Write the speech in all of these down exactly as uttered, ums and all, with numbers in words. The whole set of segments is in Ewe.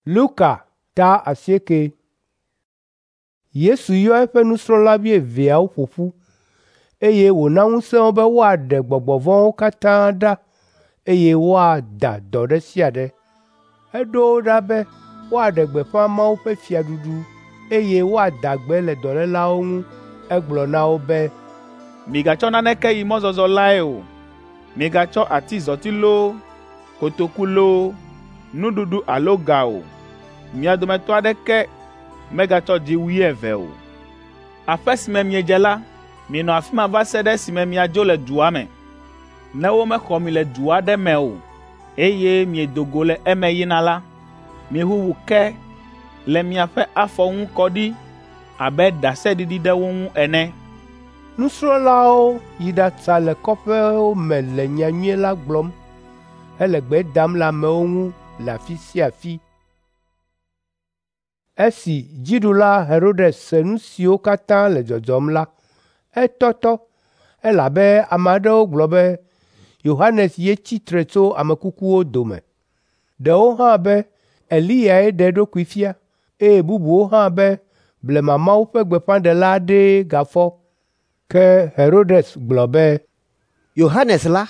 Luka ta asieke. Yesu yɔ eƒe nusrɔ̃la wuieveawo ƒo ƒu, eye wòna ŋusẽ wo be woaɖe gbɔgbɔ vɔ̃wo katã ɖa, eye woada dɔ ɖe sia ɖe. Eɖo wo ɖa be woaɖe gbeƒã Mawu ƒe fiaɖuɖu, eye woada gbe le dɔlélawo ŋu. Egblɔ na wo be, “Migatsɔ naneke yi mɔzɔzɔ lae o. Migatsɔ atizɔti loo, kotoku loo, nuɖuɖu alo ga o. Mia dometɔ aɖeke megatsɔ dziwui eve o. Aƒe si me miedze la, minɔ afi ma va se ɖe esime miadzo le dua me. Ne womexɔ mi le du aɖe me o, eye miedo go le eme yina la, miʋuʋu ke le miaƒe afɔ ŋu kɔ ɖi abe ɖaseɖiɖi ɖe wo ŋu ene.” Nusrɔ̃lawo yi ɖatsa le kɔƒewo me le nyanyui la gblɔm hele gbe dam le amewo ŋu le afi sia afi. Esi dziɖula Herodes se nu siwo katã le dzɔdzɔm la, etɔtɔ, elabe ame aɖewo gblɔ be Yohanes ye tsi tre tso ame kukuwo dome. Ɖewo hã be Eliyae ɖe eɖokui fia, eye bubuwo hã be blema Mawu ƒe gbeƒãɖela aɖee gafɔ. Ke Herodes gblɔ be, Yohanes la,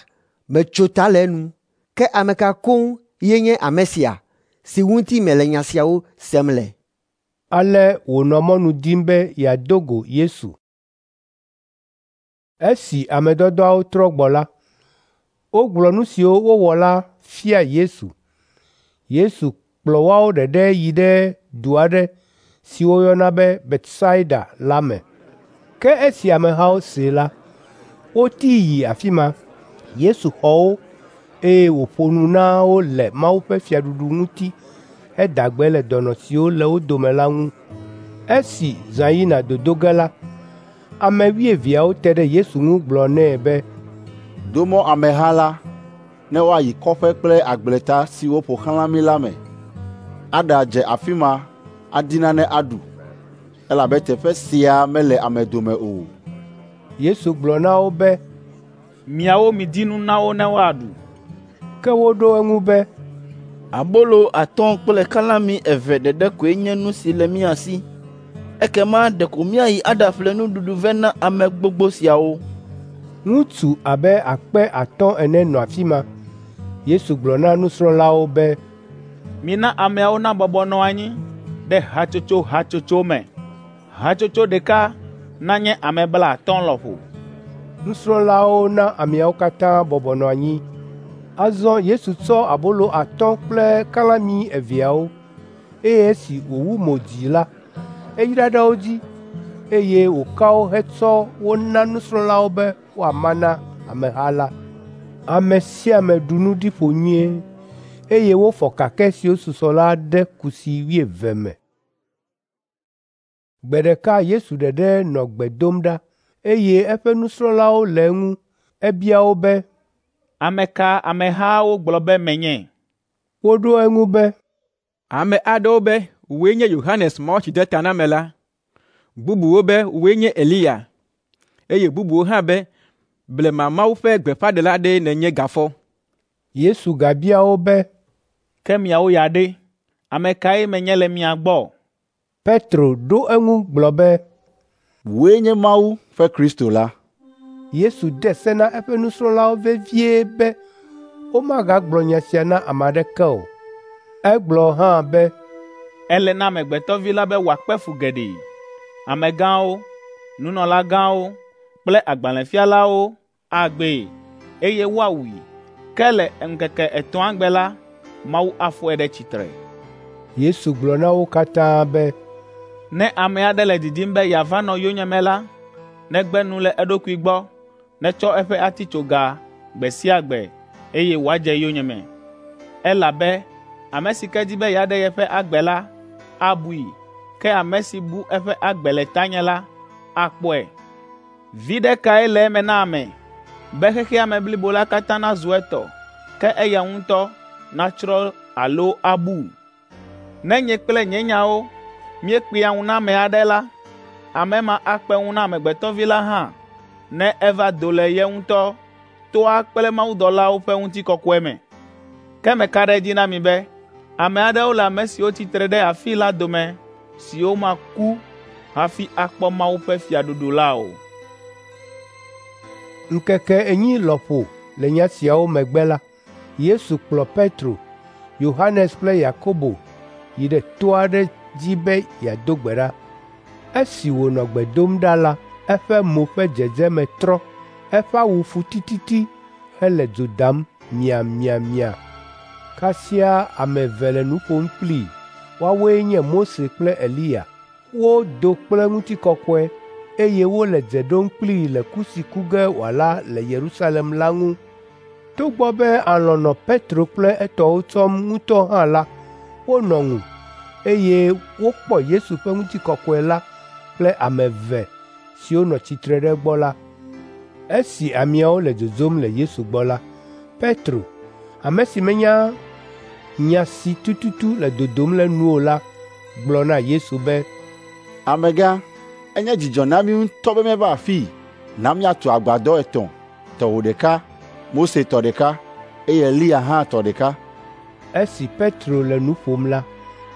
metso ta le enu, ke ame ka koŋ ye nye ame sia si ŋuti mele nya siawo sem le?” Ale wònɔ mɔnu dim be yeado go Yesu. Esi ame dɔdɔawo trɔ gbɔ la, wogblɔ nu siwo wowɔ la fia Yesu. Yesu kplɔ woawo ɖeɖe yi ɖe du aɖe si woyɔna be Betsaida la me. Ke esi amehawo see la, wotii yi afi ma. Yesu xɔ wo, eye wòƒo nu na wo le Mawu ƒe fiaɖuɖu ŋuti heda gbe le dɔnɔ siwo le wo dome la ŋu. Esi zã yina dodo ge la, ame wuieveawo te ɖe Yesu ŋu gblɔ nɛ be, “Do mɔ ameha la ne woayi kɔƒe kple agbleta siwo ƒo xlã mí la me, aɖadze afi ma adi nane aɖu, elabe teƒe sia mele ame dome o.” Yesu gblɔ na wo be, “Miawo midi nu na wo ne woaɖu.” Ke woɖo eŋu be, “Abolo atɔ̃ kple kalãmi eve ɖeɖe koe nye nu si le mía si. Ekema ɖeko míayi aɖaƒle nuɖuɖu vɛ na ame gbogbo siawo.” Ŋutsu abe akpe atɔ̃ ene nɔ afi ma. Yesu gblɔ na nusrɔ̃lawo be, “Mina ameawo nabɔbɔ nɔ anyi ɖe hatsotso hatsotso me. Hatsotso ɖeka nanye ame blaatɔ̃ lɔƒo.” Nusrɔ̃lawo na ameawo katã bɔbɔ nɔ anyi. Azɔ Yesu tsɔ abolo atɔ̃ kple kalãmi eveawo, eye esi wòwu mo dzi la, eyra ɖe wo dzi, eye wòka wo hetsɔ wo na nusrɔ̃lawo be woama na ameha la. Ame sia ame ɖu nu ɖi ƒo nyuie, eye wofɔ kakɛ siwo susɔ la ɖe kusi wuieve me. Gbe ɖeka Yesu ɖeɖe nɔ gbe dom ɖa, eye eƒe nusrɔ̃lawo le eŋu. Ebia wo be, “Ame ka amehawo gblɔ be menye?” Woɖo eŋu be, “Ame aɖewo be wòe nye Yohanes Mawutsidetanamela, bubuwo be wòe nye Eliya, eye bubuwo hã be blema Mawu ƒe gbeƒãɖela aɖee nènye gafɔ.” Yesu gabia wo be, “Ke miawo ya ɖe, ame kae menye le mia gbɔ?” Petro ɖo eŋu gblɔ be, “Wòe nye Mawu ƒe Kristo la.” Yesu de se na eƒe nusrɔ̃lawo vevie be womagagblɔ nya sia na ame aɖeke o. Egblɔ hã be, “Ele na Amegbetɔ Vi la be wòakpe fu geɖe. Amegãwo, nunɔlagãwo kple agbalẽfialawo agbee, eye woawui. Ke le ŋkeke etɔ̃a gbe la, Mawu afɔe ɖe tsitre.” Yesu gblɔ na wo katã be, “Ne ame aɖe le didim be yeava nɔ yonyeme la, negbe nu le eɖokui gbɔ, netsɔ eƒe atitsoga gbe sia gbe, eye wòadze yonyeme. Elabe ame si ke di be yeaɖe yeƒe agbe la, abui, ke ame si bu eƒe agbe le tanye la, akpɔe. Viɖe kae le eme na ame be xexea me blibo la katã nazu etɔ, ke eya ŋutɔ natsrɔ̃ alo abu? Ne nye kple nye nyawo míekpea ŋu na ame aɖe la, ame ma akpe ŋu na Amegbetɔ Vi la hã ne eva do le ye ŋutɔ toa kple mawudɔlawo ƒe ŋutikɔkɔe me. Ke meka ɖe edzi na mi be Ame aɖewo le ame siwo tsi tre ɖe afii la dome siwo maku hafi akpɔ Mawu ƒe fiaɖuɖu la o.” Ŋkeke enyi lɔƒo le nya siawo megbe la, Yesu kplɔ Petro, Yohanes kple Yakobo yi ɖe to aɖe dzi be yeado gbe ɖa. Esi wònɔ gbe dom ɖa la, eƒe mo ƒe dzedzeme trɔ, eƒe awu fu tititi hele dzo dam miamiamia. Kasia ame eve le nu ƒom kplii. Woawoe nye Mose kple Eliya. Wodo kple ŋutikɔkɔe, eye wole dze ɖom kplii le ku si ku ge wòala le Yerusalem la ŋu. Togbɔ be alɔ̃ nɔ Petro kple etɔwo tsɔm ŋutɔ hã la, wonɔ ŋu, eye wokpɔ Yesu ƒe ŋutikɔkɔe la kple ame eve siwo nɔ tsitre ɖe egbɔ la. Esi ameawo le dzodzom le Yesu gbɔ la, Petro, ame si menya nya si tututu le dodom le nu o la, gblɔ na Yesu be, “Amegã, enye dzidzɔ na mí ŋutɔ be míeva afii. Na míatu agbadɔ etɔ̃, tɔwò ɖeka, Mose tɔ ɖeka, eye Eliya hã tɔ ɖeka.” Esi Petro le nu ƒom la,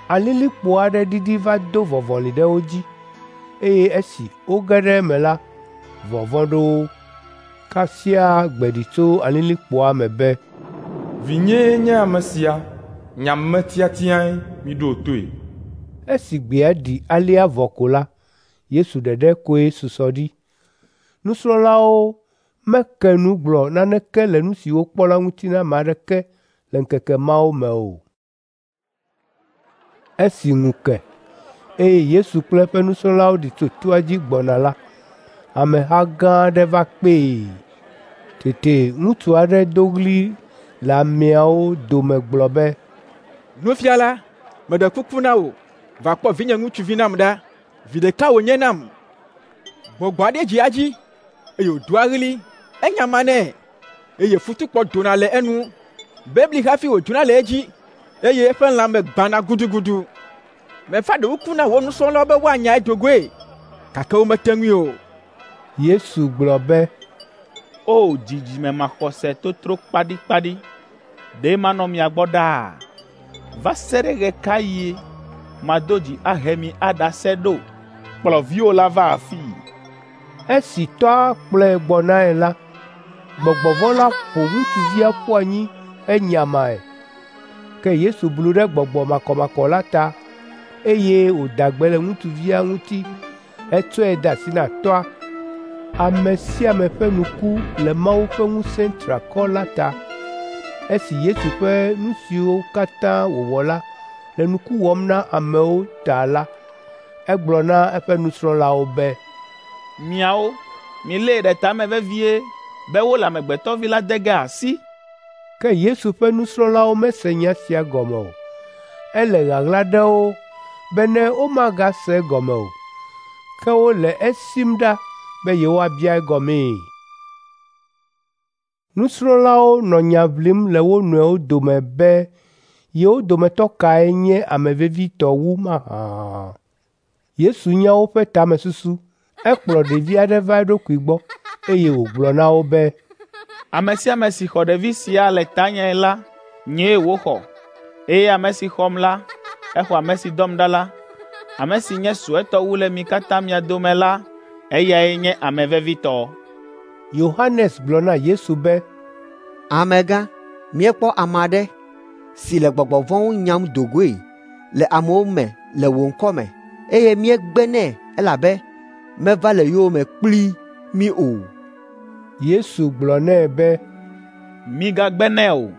alilikpo aɖe ɖiɖi va do vɔvɔli ɖe wo dzi, eye esi woge ɖe eme la, vɔvɔ̃ ɖo wo. Kasia gbe ɖi tso alilikpoa me be, “Vinyee nye ame sia, nye ame tiatiae, miɖo toe.” Esi gbea ɖi alea vɔ ko la, Yesu ɖeɖe koe susɔ ɖi. Nusrɔ̃lawo meke nu gblɔ naneke le nu si wokpɔ la ŋuti na ame aɖeke le ŋkeke mawo me o. Esi ŋu ke, eye Yesu kple eƒe nusrɔ̃lawo ɖi tso toa dzi gbɔna la, ameha gã aɖe va kpee. Tete ŋutsu aɖe do ɣli le ameawo dome gblɔ be, “Nufiala, meɖe kuku na wò, va kpɔ vinye ŋutsuvi nam ɖa. Vi ɖeka wònye nam. Gbɔgbɔ aɖe dzea edzi, eye wòdoa ɣli, enyamanɛ, eye futukpɔ dona le enu. Bebli hafi wòdzona le edzi, eye eƒe lãme gbãna gudugudu. Meva ɖe kuku na wò nusrɔ̃lawo be woanyae do goe, gake womete ŋui o.” Yesu gblɔ be, “O dzidzime maxɔse totro kpaɖikpaɖi, ɖe manɔ mia gbɔ ɖaa? Va se ɖe ɣe ka ɣie mado dzi ahe mi aɖase ɖo? Kplɔ viwò la va afii.” Esi tɔa kplɔe gbɔnae la, gbɔgbɔ vɔ̃ la ƒo ŋutsuvia ƒu anyi henyamae. Ke Yesu blu ɖe gbɔgbɔ makɔmakɔ la ta, eye wòda gbe le ŋutsuvia ŋuti hetsɔe de asi na tɔa. Ame sia ame ƒe nu ku le Mawu ƒe ŋusẽ triakɔ la ta. Esi Yesu ƒe nu siwo katã wòwɔ la le nuku wɔm na amewo ta la, egblɔ na eƒe nusrɔ̃lawo be, “Miawo, milée ɖe ta me vevie be wole Amegbetɔ Vi la de ge asi.” Ke Yesu ƒe nusrɔ̃lawo mese nya sia gɔme o. Ele ɣaɣla ɖe wo bene womagase egɔme o. Ke wole esim ɖa be yewoabia egɔmee. Nusrɔ̃lawo nɔ nya ʋlim le wo nɔewo dome be yewo dometɔ kae nye ame vevitɔ wu mahã. Yesu nya woƒe tamesusu. Ekplɔ ɖevi aɖe va eɖokui gbɔ, eye wògblɔ na wo be, “Ame sia ame si xɔ ɖevi sia le tanye la, nyee wòxɔ, eye ame si xɔm la, exɔ ame si dɔm ɖa la. Ame si nye suetɔ wu le mi katã mia dome la, eyae nye ame vevitɔ.” Yohanes gblɔ na Yesu be, “Amegã, míekpɔ ame aɖe si le gbɔgbɔ vɔ̃wo nyam do goe le amewo me le wò ŋkɔ me, eye míegbe nɛ elabe meva le yowòme kpli mí o.” Yesu gblɔ nɛ be, “Migagbe nɛ o,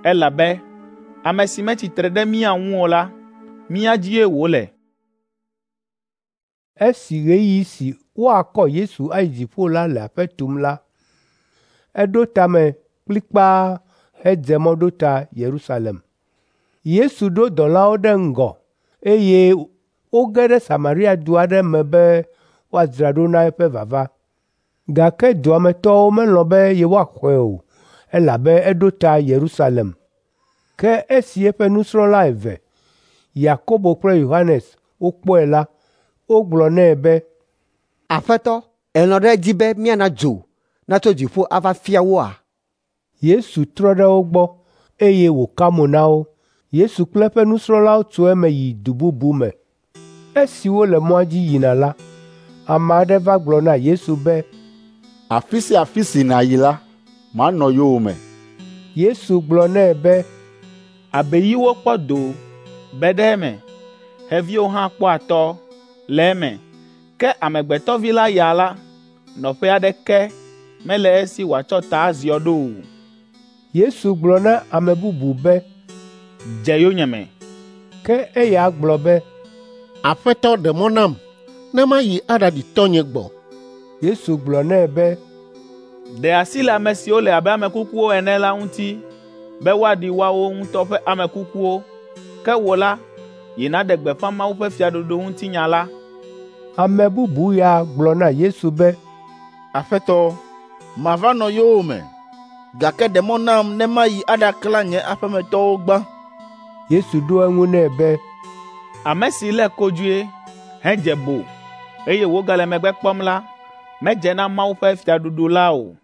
elabe ame si metsi tre ɖe mía ŋu o la, mía dzie wòle.” Esi ɣeyiɣi si woakɔ Yesu ayi dziƒo la le aƒe tum la, eɖo ta me kplikpaa hedze mɔ ɖo ta Yerusalem. Yesu ɖo dɔlawo ɖe ŋgɔ, eye woge ɖe Samaria du aɖe me be woadzra ɖo na eƒe vava. Gake dua me tɔwo melɔ̃ be yewoaxɔe o, elabe eɖo ta Yerusalem. Ke esi eƒe nusrɔ̃la eve, Yakobo kple Yohanes, wokpɔe la, wogblɔ nɛ be, “Aƒetɔ, èlɔ̃ ɖe edzi be míana dzo natso dziƒo ava fia woa?” Yesu trɔ ɖe wo gbɔ, eye wòka mo na wo. Yesu kple eƒe nusrɔ̃lawo tso eme yi du bubu me. Esi wole mɔa dzi yina la, ame aɖe va gblɔ na Yesu be, “Afi sia afi si nàyi la, manɔ yowòme.” Yesu gblɔ nɛ be, “Abeyiwo kpɔ do be ɖe eme, xeviwo hã kpɔ atɔ le eme, ke Amegbetɔ Vi la ya la, nɔƒe aɖeke mele esi wòatsɔ ta aziɔ ɖo o.” Yesu gblɔ na ame bubu be, “Dze yonyeme.” Ke eya gblɔ be, “Aƒetɔ ɖe mɔ nam ne mayi aɖaɖi tɔnye gbɔ.” Yesu gblɔ nɛ be, “Ɖe asi le ame siwo le abe ame kukuwo ene la ŋuti be woaɖi woawo ŋutɔ ƒe ame kukuwo. Ke wò la, yi nàɖe gbeƒã Mawu ƒe fiaɖuɖu ŋutinya la.” Ame bubu ya gblɔ na Yesu be, “Aƒetɔ, mava nɔ yowòme, gake ɖe mɔ nam ne mayi aɖaklã nye aƒemetɔwo gbã.” Yesu ɖo eŋu nɛ be, “Ame si lé kodzoe hedze bo, eye wògale megbe kpɔm la, medze na Mawu ƒe fiaɖuɖu la o.”